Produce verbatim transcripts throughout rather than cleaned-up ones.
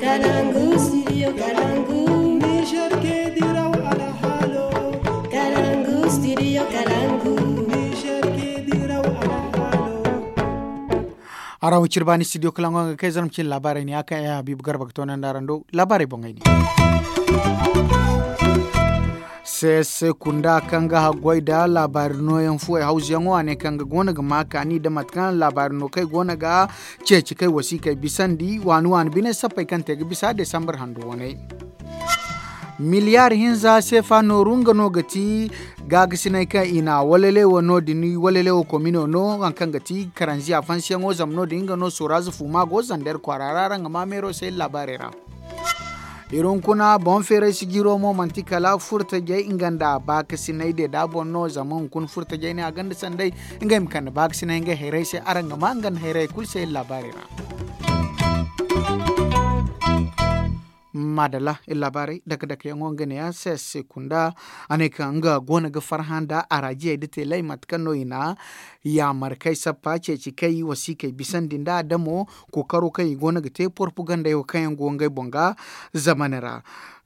Kalangu studio kalangu. Niger ke diraw alhalo. Kalangu studio kalangu. Niger ke diraw alhalo. Araŋ wo ciri baani studio kalangu nga kay zarma cine laabaarey ne a kaŋ ay habiibu garba ga toonandi araŋ do. Laabaarey boŋey ne. Seese kunda kaŋ ga haggoy nda laabaari nooyaŋ fuwey hawzuyaŋo a ne kaŋ ga goono ga ma kaani nda mate kaŋ laabaari no kaŋ ay goono ga ceeci kay wasiikey bisandi waani waani bine sappey kaŋ te ga bisa desambar hando waney. Miliyaari hinza seefa nooru nga no ga ti gaagasiney kaŋ i na walalewo no- din walalewo komino no hari kaŋ ga ti karanziya fansiyaŋo zama no- din nga no sooraaza fuuma go zandar kwaara ra araŋ ga ma meero se laabaarey ra. Iri hunkuna boŋ feeray sijiro mo manti kala furtajey nga nda baakasiney deeda boŋ no zama hunkuna furtajey ne a gonda sanday ngey ma kande baakasiney ngey hayrey se araŋ ga ma nga nda hayrey kulu se iri laabaarey ra. Maadalla iri laabaarey dake dake yaŋo nga ne ya se se kunda a ne kaŋ nga goono ga farhã nda araajiyey nda teeley mate kaŋ no i na yaamar kay sappa ceeci kay wasiikey bisandi nda adamo kookaro kaŋ i goono ga te porpagandey wo kaŋ yaŋ go ngey boŋ ga zamane ra.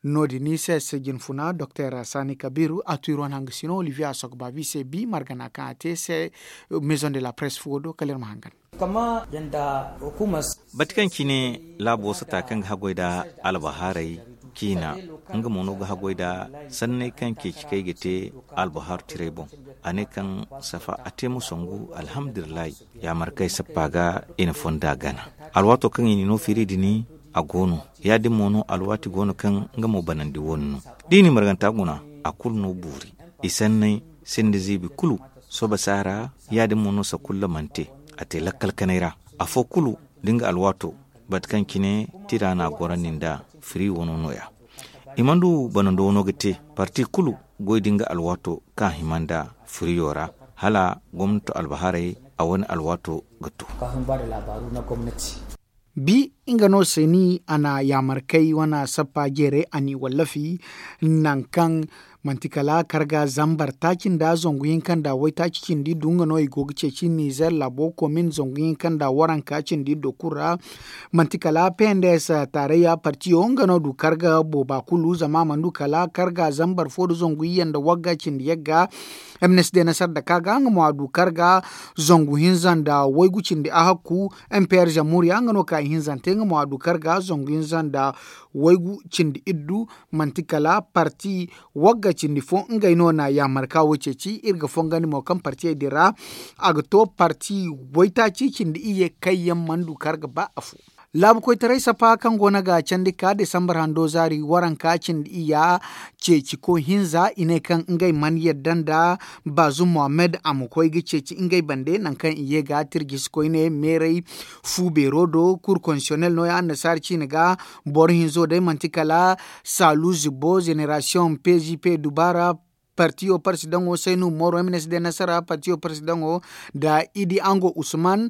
No- din i se se jinfuna doktor saani kabiiru a tu iri wane hangasino olivier a sokobaabi se bi margana kaŋ a te se. Maison de la presse fuwo do kala iri ma hangan. Bati kaŋ cine laabo sata kaŋ ga haggoy nda albahaarey ciina nga mo no ga haggoy nda sanney kaŋ ceeci kaŋ ay ga te albahaaru tirey boŋ. A ne kaŋ safa a te ma songu alhamdulillahi. Yaamar kaŋ ay sappa ga i na fonda gana alwaato kaŋ i n'i no fiiri din a go no. Ya- din mo no alwaati go no kaŋ nga mo banandi wo- ni no da i n'i marganta guna a kulu no buuri. I sanney sinda ziibi kulu soba saara. Ya- din mo no sakulla mana te a te lakkal kanay ra afo kulu da nga alwaato bate kaŋ cine tira no a gorandi nda firi wano no- ya. I mana du banando wano ga te parti kulu goy da nga alwaato kaŋ a hima nda firiyo ra hala gomnato albahaarey a wane alwaato ga to. Bi nga no seeni a na yaamarkey wane sappa jeeray a n'i wallafi nangu kaŋ manti kala karga zambar taaci nda zangu hinka nda waytaaci cindi du nga no i go ga ceeci nizer laabo komin zangu hinka nda waranka cindi do kulu ra. Manti kala pnds taarayya partiyo nga no du karga booba kulu zama a mana du kala karga zambar fo nda zangu iyye nda wagga cindi yagga. Mnsd nasar daka ga nga mo a du karga zangu hinza nda waygu cindi ahakku. Mpr zammuriya nga no ka ihinzante nga mo a du karga zangu hinza nda waygu cindi iddu. Manti kala parti wagga cindi fo ngey no na yaamarka wo ceeci iri ga fongandi mo kaŋ partiyey din ra a ga to parti waytaaci cindi iyye kaŋ yaŋ mana du karga ba afo. Laabu koytaray sappa kaŋ go no ga candi ka desambar hando zaari waranka cindi iyya ceeci koy hinza i ne kaŋ ngey mana yadda nda baazum mohammed a ma koy ga ceeci ngey bande nangu kaŋ i ye ga tirjisi koyne meeray fu beero do kur konsiyonel no- ya annasaara ciine ga. Boro hinzo day manti kala saalu zibbo zenerasiyoŋ pzp dubaara partiyo parsidaŋo saynu moro mnsd nasara partiyo parsidaŋo nda idi ango usman.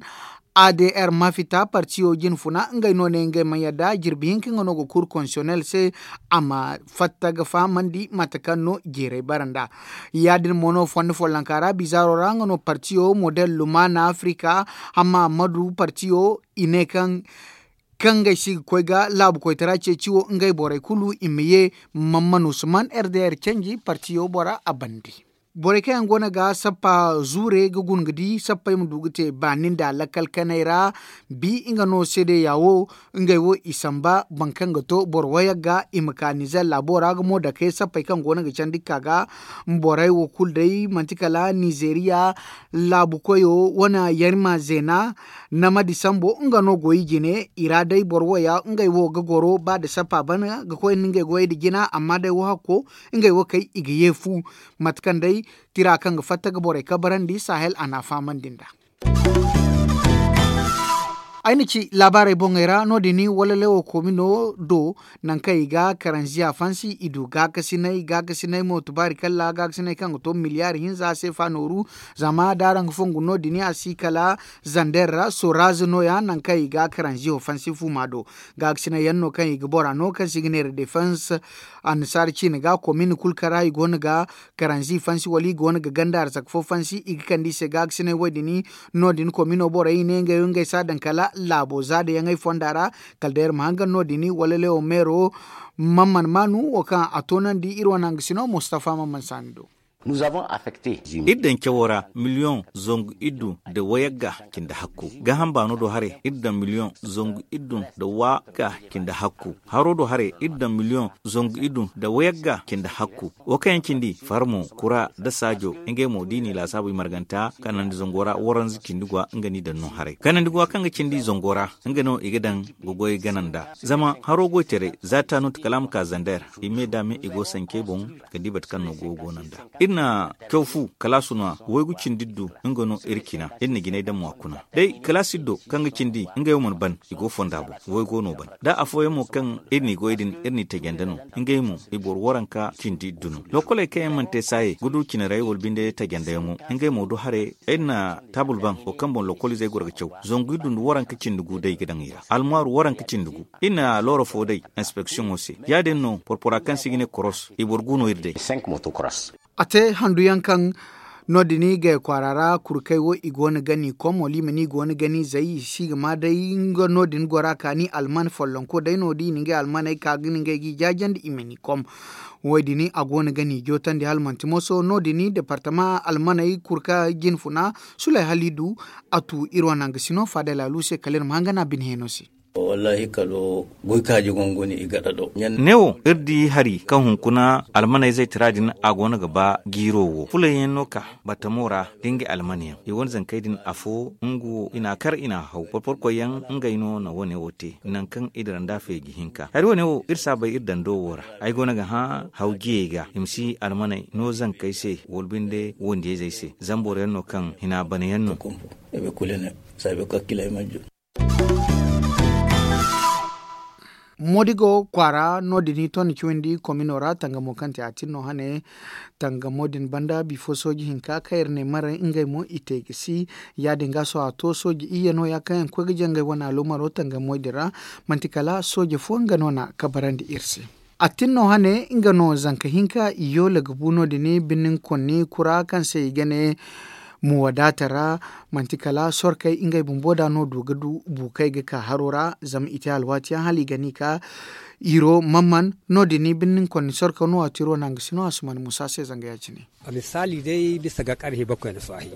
Adr mafita partiyo jinfuna ngey no ne ngey mana yadda jirbi hinka nga no ga kur konsiyonel se a ma fatta ga fahamandi mate kaŋ no jeeray bara nd'a. Ya- din mo no fondo follonka ra bizaaro ra nga no partiyo model lumana afrika hamma ammadu partiyo i ne kaŋ kaŋ ngey si ga koy ga laabu koytara ceeci wo ngey borey kulu i ma ye. Mamman usman rdr canji partiyo bora a bande. Borey kaŋ yaŋ go no ga sappa zuure ga guna ga di sappey ma du ga te baani nda lakkal kanay ra. Bi nga no seedeya wo ngey wo i samba boro kaŋ ga to boro wayagga i ma ka nizer laabo ra ga mo dake sappey kaŋ go no ga candi ga ka ga. Borey wo kulu day manti kala nizeriya laabu koyo wane yarima zeena. Namadi sambo nga no go i jine i ra day boro wo ya ngey wo ga goro ba da sappa bana ga koy nda ngey goyey da jina amma day wo hakko ngey wo kay i ga ye fu. Mate kaŋ day tira kaŋ ga fatta ga borey kabarandi sahel a na a fahamandi nd'a. Ay na ci laabaarey boŋey ra no- din wala lewo komino do nangu kaŋ i ga karanziya fansi i du gaakasinay gaakasinay mo tubaari kalla gaakasinay kaŋ ga to miliyaari hinza seefa nooru. Zama da araŋ ga fongu no- din a si kala zander ra soraze no- ya nangu kaŋ i ga karanziyo fansi fuuma do. Gaakasinay yaŋ no kaŋ i ga bora no kaŋ se i ga neera defense annasaara ciine ga komin kulu kaŋ ra i go no ga karanzi fansi wala i go no ga ganda arzaka fo fansi i ga kande i se gaakasinay wo- din. No- din komino borey i ne ngey wo ngey si a daŋ kala laabo zaadayaŋey fonda ra. Kala day iri ma hangan no- din wala lewo meero, man mana maanu wo kaŋ a toonandi iri wane hangasino mustafa man mana saani do. Iri daŋ cawo ra miliyoŋ zangu iddu nda wayagga cindi hakku. Gaaham baano do haray iri daŋ miliyoŋ zangu iddu nda wayagga cindi hakku. Haro do haray iri daŋ miliyoŋ zangu iddu nda wayagga cindi hakku. Wo kaŋ yaŋ cindi farmo kura nda saajo, ngey mo da i n'i laasaabu i marganta kanandi zango ra waranza cindi gwa nga n'i daŋ no haray kanandi gwa kaŋ ga cindi zango ra. Nga no i ga daŋ ga goy gana nd'a zama haro goy taray za taanut kala a ma ka zander. I me da me i go sancey boŋ ga di bate kaŋ no go go no nd'a. Iri na caw fu kalaasu no a waygu cindi iddu nga no iri cina iri na jinay daŋ mo a kuna day kalaasi iddo kaŋ ga cindi ngey wo mana ban. I go fonda boŋ waygo no ban da afooyaŋ mo kaŋ iri n'i goy din iri n'i tajanda no. Ngey mo i boro waranka cindi iddu no lokoley kaŋ yaŋ mana te saayey ga du cinaray wala binde tajandayaŋo. Ngey mo du haray iri na taabul baŋ wo kaŋ boŋ lokoliizey goro ga caw zangu iddu nda waranka cindi gu day ga daŋ i ra almaaru waranka cindi gu. Iri na looro fo day inspeksiyoŋo se ya- din no porpora kaŋ se i ga ne koros i boro gu no iri day. A te handu yaŋ kaŋ no- din i gay kwaara ra kurkey wo i go no ga ni kom wala i ma ni go no ga ni zay i si ga ma day nga no- din gora kaani alman follonko day no da i na ngey almaney ka ga ni ngey ga i jaajandi i ma ni kom. Wo- din a go no ga ni jootandi hala manti moso no- din departama almaney kurka jinfuna sulay hala i du. A tu iri wane nanga sino faadey laalu se kala iri ma hangana bine heno se. Wallaahi kalo goy kaaji gongoni i gada do. Ne wo iri di hari kaŋ hunkuna almaney zaytara din a go no ga ba jiiro wo fulayyaŋ no ka batamo ra da ngey almanyaŋ i wane zankey din afo nga wo i n'a kar i n'a haw porporkoyyaŋ. Ngey no na wane wo te nangu kaŋ i dira nda feeji hinka hari wane wo iri si a bay iri dando wo ra. Ay go no ga hã haw jiyey ga i ma si almaney no zankey se wala binde wondiyayzey se zama boro yaŋ no kaŋ hina bana yaŋ no. Moodigo kwaara no- din i to ni cawandi komino ra tangamo kaŋ te a tin no hane. Tangamo din banda bifo sooji hinka kaŋ iri ne maray ngey mo i te ga si ya- din ga sohõ a to sooji iyye no- ya kaŋ yaŋ ga koy ga jangay wane alumaro tangamey din ra. Manti kala sooje fo nga no na kabarandi iri se. A tin no hane nga no zanka hinka i yoola ga bu no- din birnin konni kura kaŋ se i ga ne muwadaata ra. Manti kala sorkey ngey bumbo da no du ga du buukey ga ka haro ra zama i te alwaati yaŋ hala i ga ni ka iro mamman no- din birnin konni sorko no waati iro nanga si no a si mana musa se zanga ya- cine. A misaali day bisa ga karhe bakoy na saahi.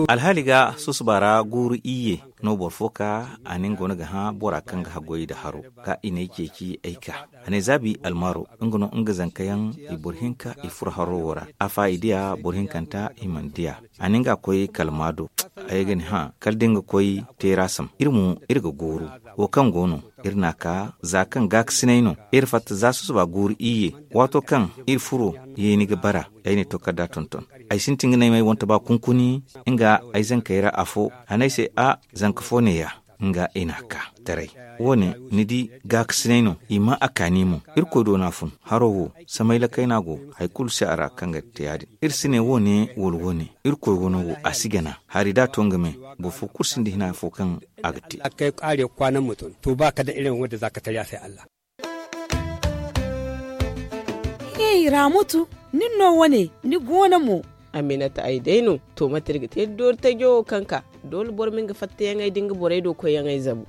Alhaali ga susuba ra guuru iyye no boro fo ka a nin go no ga hã bora kaŋ ga haggoy nda haro ka i n'ay ceeci ay ka a ne zaabi almaaro. Nga no nga zankayaŋ i boro hinka i furo haro wo ra a fa i diya boro hinkanta i mana diya. A nin ga koy kala maado ay ga ni hã kala da nga koy teera sam iri mo iri ga gooru. Wo kaŋ go no iri n'a ka za kaŋ gaakasinay no iri fatta za susuba guuru iyye. Waato kaŋ iri furo yeeni ga bara ay na ay tokarda tonton. Ay sintin ga ne ma ay wanta ba kunkuni nga ay zankey ra afo a ne ay se a zanka fo neeya. Nga i n'a ka taray wo- ne ni di gaakasinay no i maa a kaani mo. Irkoy do no a fun haro wo samayla kayna go hari kulu si a ra kaŋ ga te ya- din. Iri si ne wo- ne wala wo- ne irkoy wano wo a si gana hari da a to nga me. Boro fo kulu sinda hina fo kaŋ a ga te. Kay kwaare kwaana ma tun to ba kala da iri ma wadda za ka tariya se allah. Hey ramutu, nin no wane ni go no mo? Aminata ay day no. To mate iri ga te doori tajo wo kaŋ ka doole boro ma nga fattayaŋey da nga borey do koyyaŋey zabu.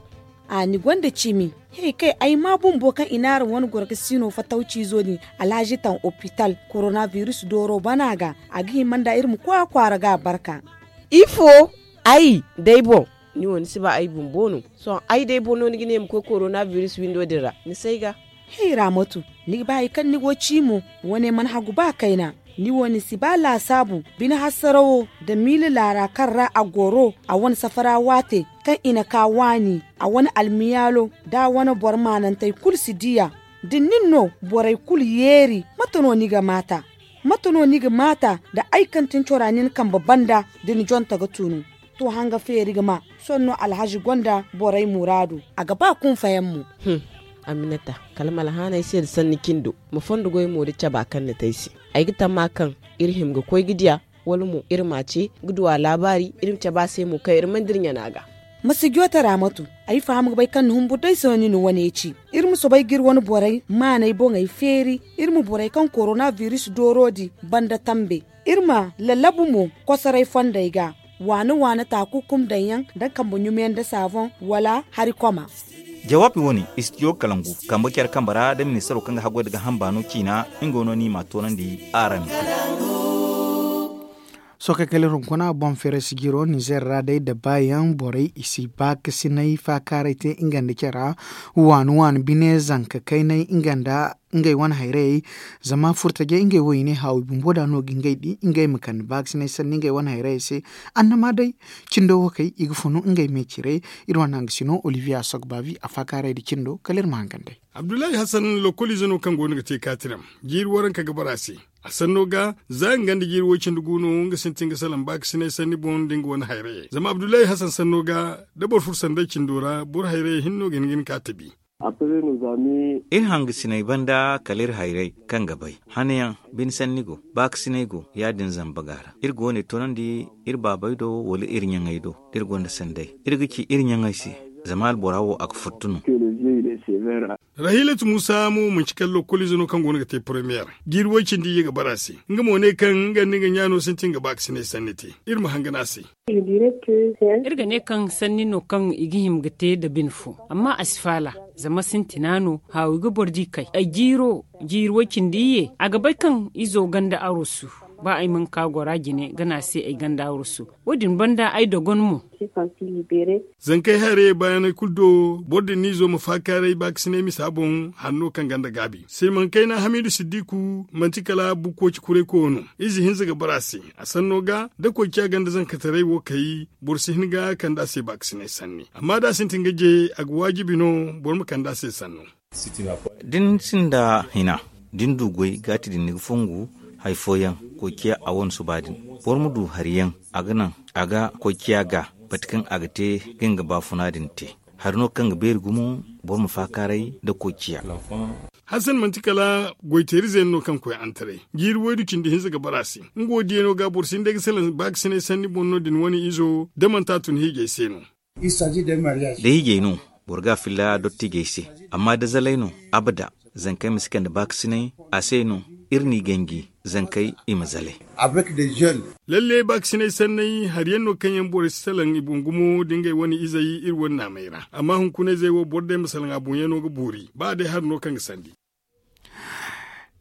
A ni gonda cimi. Hey kay ay ma bumbo kaŋ i n'araŋ wane goro ga sino fatawciizo din alhazi taŋ opital korona biris dooro bana ga. A ga hima nda iri ma koy a kwaara ga a barka. Ifo? Ay day boŋ. Ni wo ni si ba ay bumbo no? Sohõ ay day boŋ no ni ga ne ma koy korona biris windo din ra ni si ay ga. Hey raamatu, ni ga ba hari kaŋ ni go ci mo? Wane mana hagu ba kayna. Ni wo ni si ba laasaabu bine hasarawo nda miila laara kaŋ ra a goro a wane safara waate kaŋ i na ka waani a wane almiyaalo nda a wane boro maanantey kulu si di a. Da nin no borey kulu yeeri mate no ni ga maata? Mate no ni ga maata nda ay kaŋ tin cora nin kambe banda da ni jonta ga tunu? To hanga feeri ga ma sohõ no alhazi gonda borey muraadu. A ga ba kunfayaŋ mo. Aminata, kala ma alhaanay se nda sanni cindo ma fondo goy mo da caba kaŋ ni te ay se. Ay ga tamma kaŋ iri hima ga koy ga diya wala mo iri m'a ce ga du a laabaari iri ma cabe a se mo kaŋ iri mana dira ɲana ga. Ma si joote raamatu. Ay faham ga bay kaŋ ni humbur day se no ni na wane ci. Iri ma soobay ga iri wane borey maanay boŋey feeri. Iri ma borey kaŋ korona biris dooro din banda tambe. Iri ma lallabu mo kosoray fondey ga. Waani waani taaku kum daŋ yaŋ nda kambe ɲumiyaŋ nda saaboŋ wala hari koma. Jawaabi wo- ne, istidiyo kalangu kambe care kambe ra nda ministaro kaŋ ga haggoy nda gaaham baano ciina. Nga no no i m'a toonandi araŋ. Sohõ kay kala iri hunkuna boŋ feeray sijiro nizeer ra day nda baayaŋ borey i si baakasinay faakaaray te nga nda care ra. Waani waani bine zanka kaynay nga nda ngey wane hayrayey. Zama furtajey ngey wo i ne haawi bumbo da no ga ngey di ngey ma kande baakasinay sanni ngey wane hayrayey se. Annama day cindo wo kay i ga funu ngey me cire. Iri wane hangasino olivier asogbavi a faakaaray nda cindo kala iri ma hangan day. Abdullahi hassan lokkoliize no kaŋ go no ga te kaatiram jiiri waranka ga bara se. A sanno ga za nga nda jiiri woy cindi gu no nga sintin ga salaŋ baakasinay sanni boŋ nda nga wane hayrayey zama abdullahi hassan sanno ga da boro furo sanday cindo ra boro hayrayey hinne no ga hin ga ni ka tabi. Iri hangasinay banda kala iri hayray kaŋ ga bay hanayaŋ bine sanni go baakasinay go ya- din zamba ga ra iri go no i toonandi. Iri baabey do wala iri ɲaŋey do da iri gonda sanday iri ga ci iri ɲaŋey se. Zama albora wo a ga furtu no. Rahilatu muusa mo manci kala lokkoliize no kaŋ go no ga te poromiyar jiiri woy cindi iyye ga bara se. Nga mo ne kaŋ nga nda nga ɲaano sintin ga baakasinay sanni te. Iri ma hangan a se. Iri ga ne kaŋ sanni no kaŋ i ga hima ga te nda bine fo amma a si faala. Zama sintina no haawi ga boro di kay ay jiiro jiiri woy cindi iyye a ga bay kaŋ izo ganda arusu. Ba ay mana ka gora jine gana se ay ganda arusu. Wo- din banda ay dogon mo. Zankey hayrayey baayaney kulu do boro din n'izo ma faakaaray baakasinay misa boŋ hanno kaŋ ganda gaabi silmaŋ kayna hamiidu siddiku manti kala bukkoci kuray koyo no. Ize hinza ga bara se a sanno ga da koy ciya ganda zankataray wo kay boro si hin ga kande a se baakasinay sanni amma da a sintin ga je a ga waajibi no boro ma kande a se sanno. Da ni sinda hina da ni du goy gaati din ni ga fongu. Hari fooyaŋ koy ciya a wane suba din boro ma du hari yaŋ a ga naŋ a ga koy ciya ga mate kaŋ a ga te ga nga baafuna din te. Hari no kaŋ ga beeri gumo boro ma faakaaray nda koy ciya. Hassan manti kala goyteerize yaŋ no kaŋ koy antaray jiiri waydu cindi hinza ga bara se. Nga wo diyaŋo ga boro si hin day ga salaŋ baakasinay sanni boŋ no din wane izo da manti a tun hiijay se no. Da hiijay no boro ga a filla dottijey se. Amma da zalay no abada zankey ma si kande baakasinay a se no. Iri n'i ganji zankey i ma zalay. Lalle baakasinay sanney hari yaŋ no kaŋ yaŋ borey si salaŋ i boŋ gumo da ngey wane izey iri wane naamey ra amma hunkunayzey wo boro day ma salaŋ a boŋyaŋo ga boori ba a day hari no kaŋ ga sandi.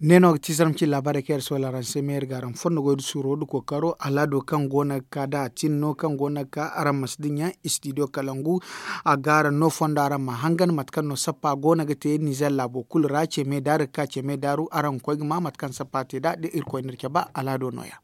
Ne no ga ti zarma ci laabaarey kaŋ iri si wala araŋ se meeri ga araŋ fondo goy da suuro da kookaro alaado kaŋ go no ga ka da a tin no kaŋ go no ga ka araŋ ma si dinya istidiyo kalangu. A ga araŋ no fondo araŋ ma hangan mate kaŋ no sappa go no ga te nizer laabo kulu ra ce me daaru ga ka ce me daaru araŋ ga koy ga ma mate kaŋ sappa te nd'a da irkoy n'iri cabe alaado no- ya.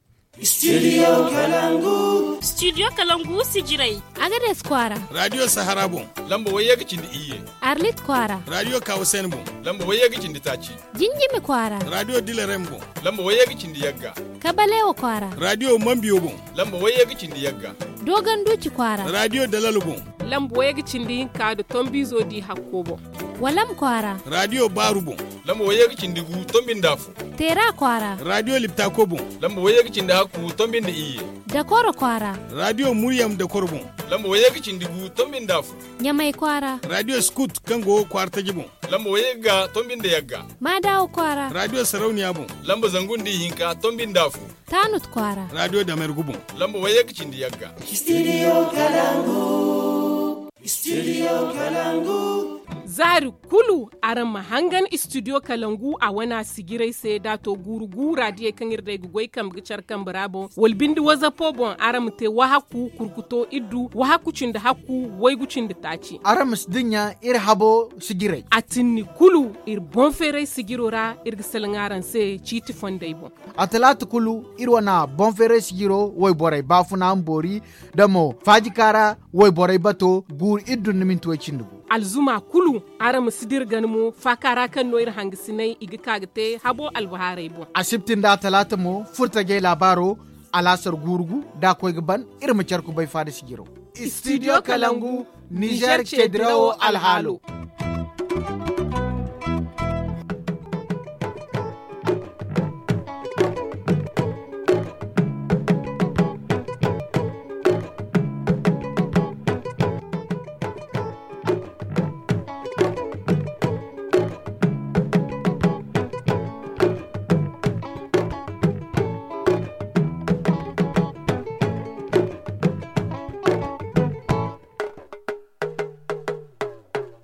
Studio kalangu sijirey. Agades kwaara. Radiyo sahara boŋ. Lamba wayye ga cindi iyye. Arlit kwaara. Radiyo kawusen boŋ. Lamba wayye ga cindi taaci. Jinjimi kwaara. Radiyo dilarem boŋ. Lamba wayye ga cindi yagga. Kabalewa kwaara. Radiyo mambiyo boŋ. Lamba wayye ga cindi yagga. Dogon duuci kwaara. Radiyo dalalo boŋ. Lamba wayye ga cindi hinka nda tombizo di hakko boŋ. Walam kwaara. Radiyo baaru boŋ. Lamba wayye ga cindi gu tombi nda afo. Teera kwaara. Radiyo liptako boŋ. Lamba wayye ga cindi hakku tombi nda iyye. Dakoro kwaara. Radiyo muryam dakoro boŋ. Lamba wayye ga cindi gu tombi nda afo. Ɲamay kwaara. Radiyo skut kaŋ go kwaara taji boŋ. Lamba wayye ga tombi nda yagga. Maadawa kwaara. Radiyo sarauniya boŋ. Lamba zangu nda ihinka tombi nda afo. Taanut kwaara. Radiyo damergu boŋ. Lamba wayye ga cindi yagga. Studio kalangu. Studio kalangu. Zaari kulu araŋ ma hangan istidiyo kalangu a wana sijirey se da a to guuru gu raadiyey kaŋ iri day ga goy kambe ga care kambe ra boŋ wala binde wazapo boŋ araŋ ma te wahakku kurkuto iddu wahakku cindi hakku waygu cindi taaci. Araŋ ma si dinya iri habo sijirey. A tinni kulu iri boŋ feeray sijiro ra iri ga salaŋ araŋ se ciiti fondey boŋ. A talaata kulu iri wana boŋ feeray sijiro wayborey baafuna ma boori da mo faajika ra wayborey bato guuru iddu nda minti way cindi gu. Alzuma kulu araŋ ma si dira gana mo faaka ra kaŋ no iri hangasinay i ga ka ga te habo albahaarey boŋ. Asibti nda talaata mo furtajey laabaaro alaasar guuru gu da a koy ga ban. Iri ma care kubay faada sijiro. Studio kalangu nizer ceedirawo alhaalo.